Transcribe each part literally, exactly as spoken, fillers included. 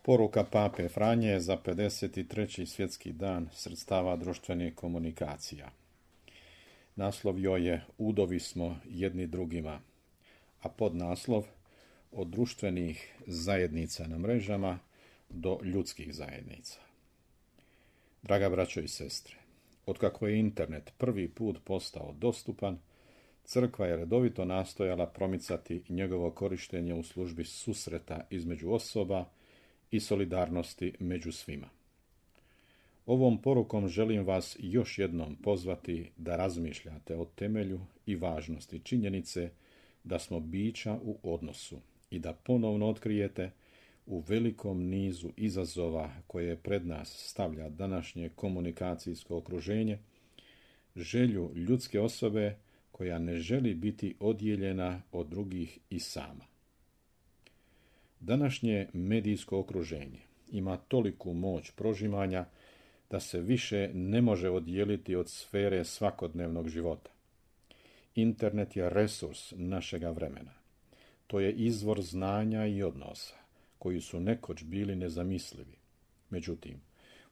Poruka pape Franje za pedeset treći svjetski dan sredstava društvenih komunikacija. Naslov joj je Udovi smo jedni drugima, a podnaslov od društvenih zajednica na mrežama do ljudskih zajednica. Draga braćo i sestre, otkako je internet prvi put postao dostupan, crkva je redovito nastojala promicati njegovo korištenje u službi susreta između osoba i solidarnosti među svima. Ovom porukom želim vas još jednom pozvati da razmišljate o temelju i važnosti činjenice da smo bića u odnosu i da ponovno otkrijete u velikom nizu izazova koje pred nas stavlja današnje komunikacijsko okruženje želju ljudske osobe koja ne želi biti odijeljena od drugih i sama. Današnje medijsko okruženje ima toliku moć prožimanja da se više ne može odijeliti od sfere svakodnevnog života. Internet je resurs našega vremena. To je izvor znanja i odnosa koji su nekoć bili nezamislivi. Međutim,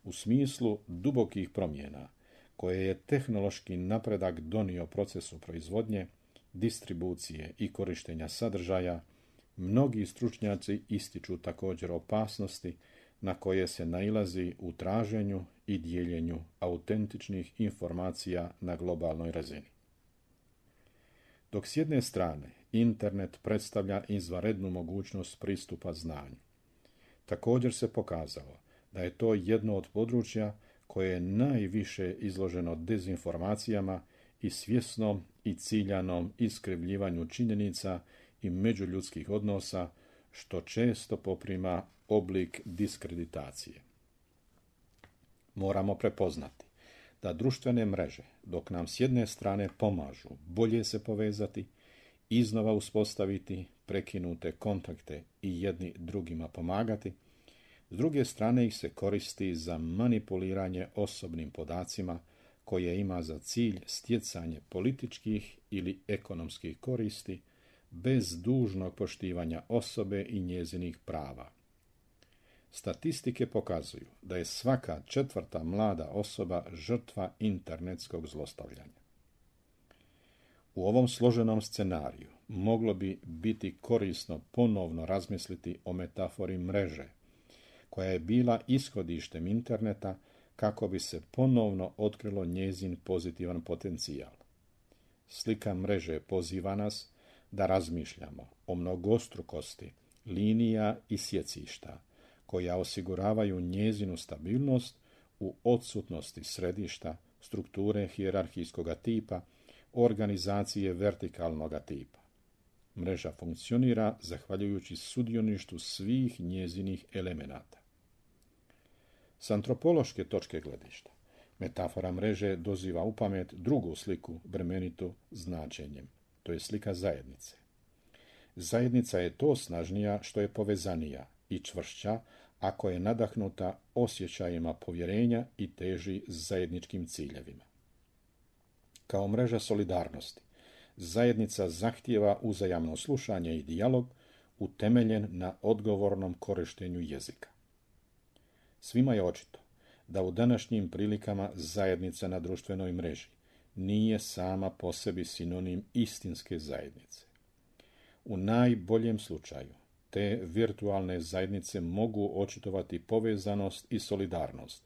u smislu dubokih promjena koje je tehnološki napredak donio procesu proizvodnje, distribucije i korištenja sadržaja, mnogi stručnjaci ističu također opasnosti na koje se nailazi u traženju i dijeljenju autentičnih informacija na globalnoj razini. Dok s jedne strane internet predstavlja izvanrednu mogućnost pristupa znanju, također se pokazalo da je to jedno od područja koje je najviše izloženo dezinformacijama i svjesnom i ciljanom iskrivljivanju činjenica i međuljudskih odnosa, što često poprima oblik diskreditacije. Moramo prepoznati da društvene mreže, dok nam s jedne strane pomažu bolje se povezati, iznova uspostaviti prekinute kontakte i jedni drugima pomagati, s druge strane ih se koristi za manipuliranje osobnim podacima koje ima za cilj stjecanje političkih ili ekonomskih koristi bez dužnog poštivanja osobe i njezinih prava. Statistike pokazuju da je svaka četvrta mlada osoba žrtva internetskog zlostavljanja. U ovom složenom scenariju moglo bi biti korisno ponovno razmisliti o metafori mreže, koja je bila ishodištem interneta kako bi se ponovno otkrilo njezin pozitivan potencijal. Slika mreže poziva nas da razmišljamo o mnogostrukosti linija i sjecišta koja osiguravaju njezinu stabilnost u odsutnosti središta, strukture hijerarhijskoga tipa, organizacije vertikalnoga tipa. Mreža funkcionira zahvaljujući sudioništvu svih njezinih elemenata. S antropološke točke gledišta, metafora mreže doziva u pamet drugu sliku bremenitu značenjem. To je slika zajednice. Zajednica je to snažnija što je povezanija i čvršća ako je nadahnuta osjećajima povjerenja i teži zajedničkim ciljevima. Kao mreža solidarnosti, zajednica zahtijeva uzajamno slušanje i dijalog utemeljen na odgovornom korištenju jezika. Svima je očito da u današnjim prilikama zajednica na društvenoj mreži nije sama po sebi sinonim istinske zajednice. U najboljem slučaju te virtualne zajednice mogu očitovati povezanost i solidarnost,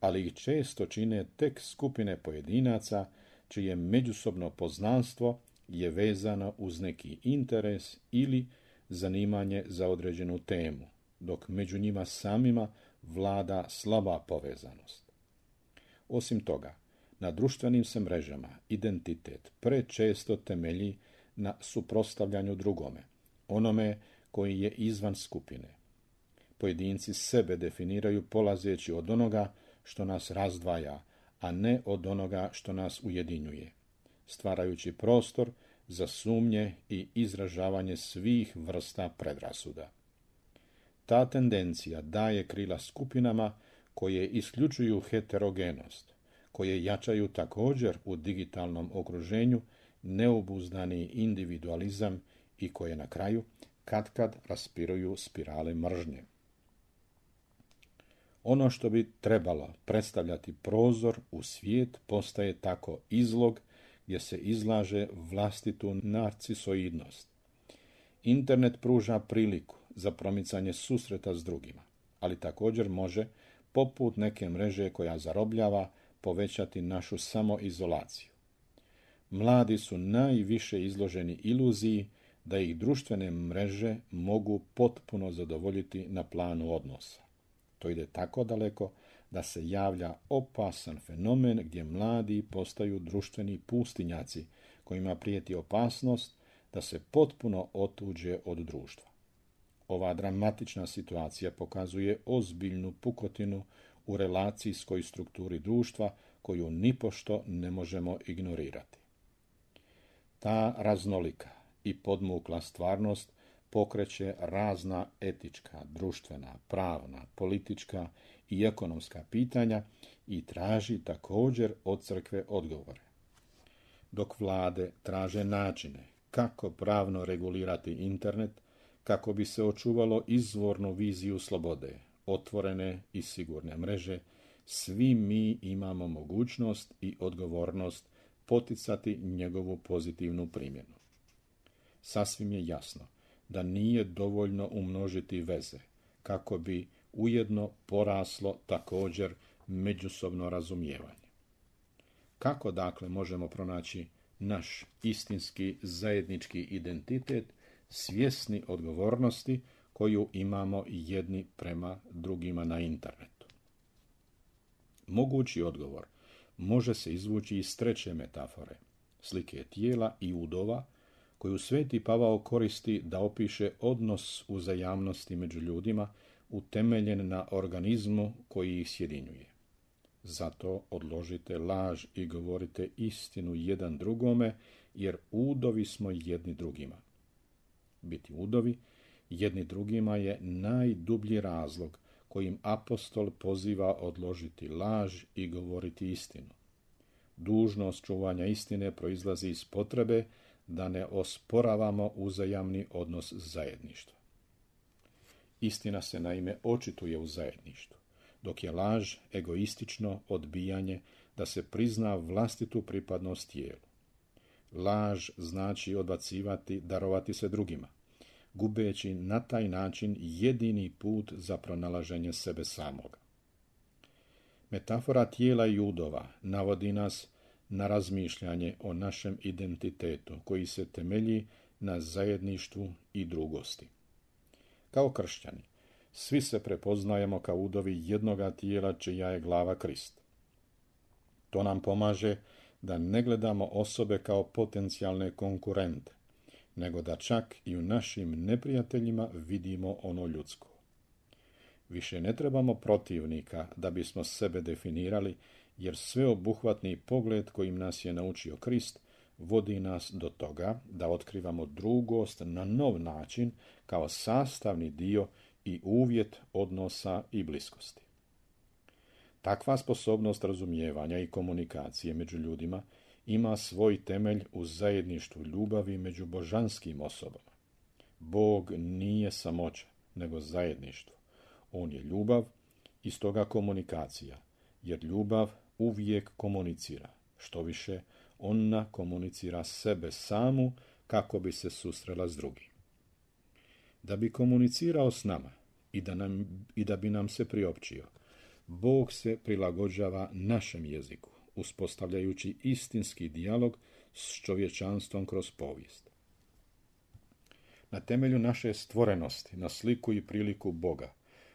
ali ih često čine tek skupine pojedinaca čije međusobno poznanstvo je vezano uz neki interes ili zanimanje za određenu temu, dok među njima samima vlada slaba povezanost. Osim toga, na društvenim se mrežama identitet prečesto temelji na suprotstavljanju drugome, onome koji je izvan skupine. Pojedinci sebe definiraju polazeći od onoga što nas razdvaja, a ne od onoga što nas ujedinjuje, stvarajući prostor za sumnje i izražavanje svih vrsta predrasuda. Ta tendencija daje krila skupinama koje isključuju heterogenost, koje jačaju također u digitalnom okruženju neobuzdani individualizam i koje na kraju katkad raspiruju spirale mržnje. Ono što bi trebalo predstavljati prozor u svijet postaje tako izlog gdje se izlaže vlastitu narcisoidnost. Internet pruža priliku za promicanje susreta s drugima, ali također može, poput neke mreže koja zarobljava, povećati našu samoizolaciju. Mladi su najviše izloženi iluziji da ih društvene mreže mogu potpuno zadovoljiti na planu odnosa. To ide tako daleko da se javlja opasan fenomen gdje mladi postaju društveni pustinjaci kojima prijeti opasnost da se potpuno otuđe od društva. Ova dramatična situacija pokazuje ozbiljnu pukotinu u relacijskoj strukturi društva koju nipošto ne možemo ignorirati. Ta raznolika i podmukla stvarnost pokreće razna etička, društvena, pravna, politička i ekonomska pitanja i traži također od crkve odgovore. Dok vlade traže načine kako pravno regulirati internet, kako bi se očuvalo izvornu viziju slobode, otvorene i sigurne mreže, svi mi imamo mogućnost i odgovornost poticati njegovu pozitivnu primjenu. Sasvim je jasno da nije dovoljno umnožiti veze, kako bi ujedno poraslo također međusobno razumijevanje. Kako dakle možemo pronaći naš istinski zajednički identitet, svjesni odgovornosti koju imamo jedni prema drugima na internetu? Mogući odgovor može se izvući iz treće metafore, slike tijela i udova, koju Sveti Pavao koristi da opiše odnos uzajamnosti među ljudima utemeljen na organizmu koji ih sjedinjuje. Zato odložite laž i govorite istinu jedan drugome, jer udovi smo jedni drugima. Biti udovi jedni drugima je najdublji razlog kojim apostol poziva odložiti laž i govoriti istinu. Dužnost čuvanja istine proizlazi iz potrebe da ne osporavamo uzajamni odnos zajedništva. Istina se naime očituje u zajedništvu, dok je laž egoistično odbijanje da se prizna vlastitu pripadnost tijelu. Laž znači odbacivati, darovati se drugima, gubeći na taj način jedini put za pronalaženje sebe samoga. Metafora tijela i udova navodi nas na razmišljanje o našem identitetu koji se temelji na zajedništvu i drugosti. Kao kršćani, svi se prepoznajemo kao udovi jednoga tijela čija je glava Krist. To nam pomaže da ne gledamo osobe kao potencijalne konkurente, nego da čak i u našim neprijateljima vidimo ono ljudsko. Više ne trebamo protivnika da bismo sebe definirali, jer sveobuhvatni pogled kojim nas je naučio Krist vodi nas do toga da otkrivamo drugost na nov način kao sastavni dio i uvjet odnosa i bliskosti. Takva sposobnost razumijevanja i komunikacije među ljudima ima svoj temelj u zajedništvu ljubavi među božanskim osobama. Bog nije samoća, nego zajedništvo. On je ljubav i stoga komunikacija, jer ljubav uvijek komunicira. Što više, ona komunicira sebe samu kako bi se susrela s drugim. Da bi komunicirao s nama i da, nam, i da bi nam se priopćio, Bog se prilagođava našem jeziku, uspostavljajući istinski dijalog s čovječanstvom kroz povijest. Na temelju naše stvorenosti, na sliku i priliku Boga,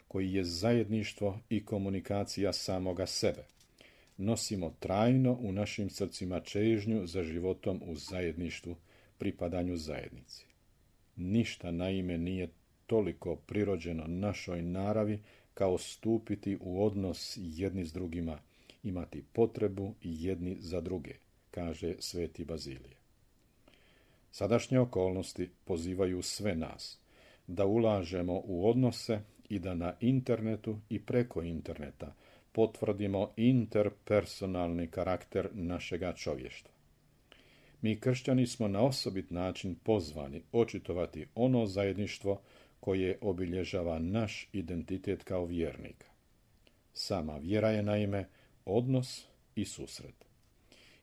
koji je zajedništvo i komunikacija samoga sebe, nosimo trajno u našim srcima čežnju za životom u zajedništvu, pripadanju zajednici. Ništa naime nije toliko prirođeno našoj naravi kao stupiti u odnos jedni s drugima, imati potrebu jedni za druge, kaže sveti Bazilije. Sadašnje okolnosti pozivaju sve nas da ulažemo u odnose i da na internetu i preko interneta potvrdimo interpersonalni karakter našega čovještva. Mi kršćani smo na osobit način pozvani očitovati ono zajedništvo koje obilježava naš identitet kao vjernika. Sama vjera je naime odnos i susret.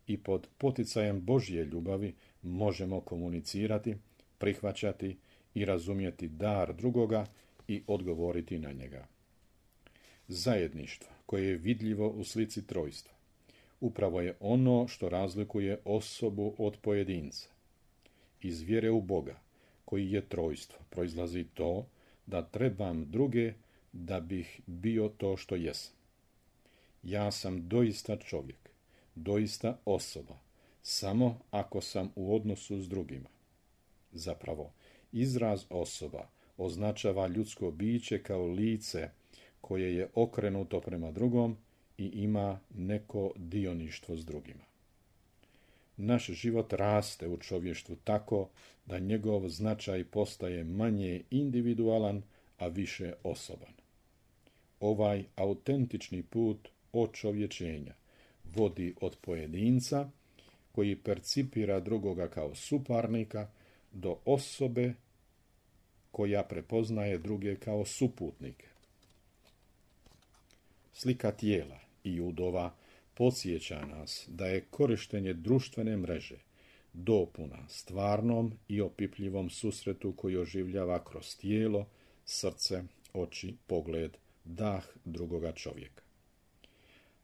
I pod poticajem Božje ljubavi možemo komunicirati, prihvaćati i razumjeti dar drugoga i odgovoriti na njega. Zajedništvo koje je vidljivo u slici trojstva upravo je ono što razlikuje osobu od pojedinca. Iz vjere u Boga, koji je trojstvo, proizlazi to da trebam druge da bih bio to što jesam. Ja sam doista čovjek, doista osoba, samo ako sam u odnosu s drugima. Zapravo, izraz osoba označava ljudsko biće kao lice koje je okrenuto prema drugom i ima neko dioništvo s drugima. Naš život raste u čovještvu tako da njegov značaj postaje manje individualan, a više osoban. Ovaj autentični put očovječenja vodi od pojedinca koji percipira drugoga kao suparnika do osobe koja prepoznaje druge kao suputnike. Slika tijela i udova podsjeća nas da je korištenje društvene mreže dopuna stvarnom i opipljivom susretu koji oživljava kroz tijelo, srce, oči, pogled, dah drugoga čovjeka.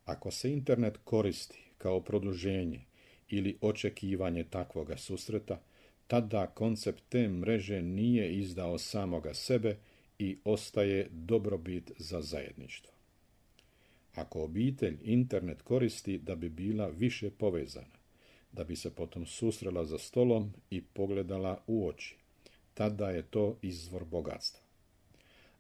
Ako se internet koristi kao produženje ili očekivanje takvoga susreta, tada koncept te mreže nije izdao samoga sebe i ostaje dobrobit za zajedništvo. Ako obitelj internet koristi da bi bila više povezana, da bi se potom susrela za stolom i pogledala u oči, tada je to izvor bogatstva.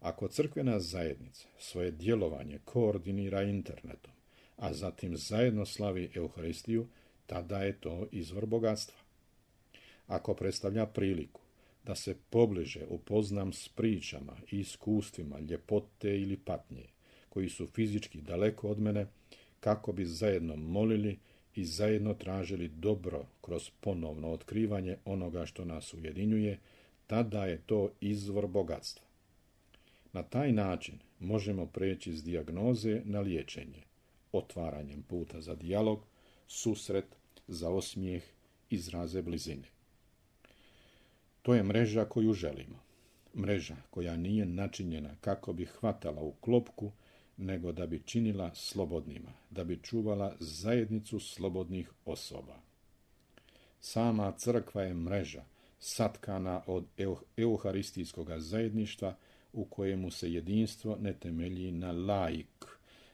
Ako crkvena zajednica svoje djelovanje koordinira internetom, a zatim zajedno slavi Euharistiju, tada je to izvor bogatstva. Ako predstavlja priliku da se pobliže upoznam s pričama i iskustvima ljepote ili patnje, koji su fizički daleko od mene, kako bi zajedno molili i zajedno tražili dobro kroz ponovno otkrivanje onoga što nas ujedinjuje, tada je to izvor bogatstva. Na taj način možemo preći s dijagnoze na liječenje, otvaranjem puta za dijalog, susret, za osmijeh, izraze blizine. To je mreža koju želimo. Mreža koja nije načinjena kako bi hvatala u klopku, nego da bi činila slobodnima, da bi čuvala zajednicu slobodnih osoba. Sama crkva je mreža satkana od euharistijskog zajedništva u kojemu se jedinstvo ne temelji na laik,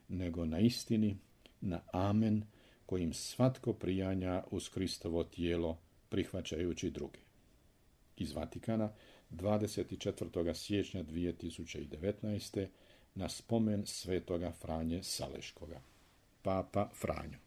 nego na istini, na amen, kojim svatko prijanja uz Kristovo tijelo, prihvaćajući druge. Iz Vatikana, dvadeset četvrtog siječnja dvije tisuće devetnaeste. na spomen svetoga Franje Saleškoga. Papa Franjo.